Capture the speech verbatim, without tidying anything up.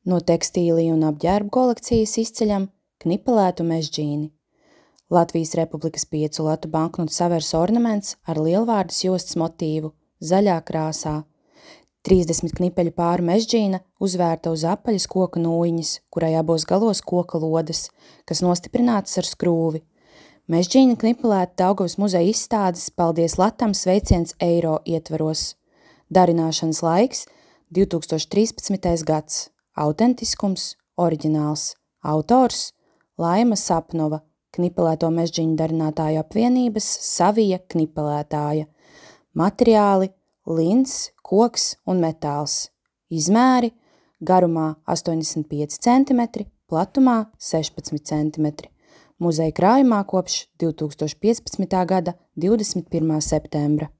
No tekstīliju un apģērbu kolekcijas izceļam knipelētu mežģīni. Latvijas Republikas piecu latu banknotu savers ornaments ar lielvārdas jostas motīvu, zaļā krāsā. trīsdesmit knipeļu pāru mežģīna uzvērta uz apaļas koka nūjiņas, kurai abos galos koka lodes, kas nostiprinātas ar skrūvi. Mežģīna knipelēta Daugavas muzeja izstādes Paldies Latam sveiciens eiro ietvaros. Darināšanas laiks divi tūkstoši trīspadsmitais gads. Autentiskums, oriģināls. Autors Laima Sapnova, knipelēto mežģīņu darinātāju apvienības Savija knipelētāja. Materiāli lins, koks un metāls. Izmēri garumā astoņdesmit pieci centimetri, platumā sešpadsmit centimetri. Muzeja krājumā kopš divi tūkstoši piecpadsmitā gada divdesmit pirmā septembra.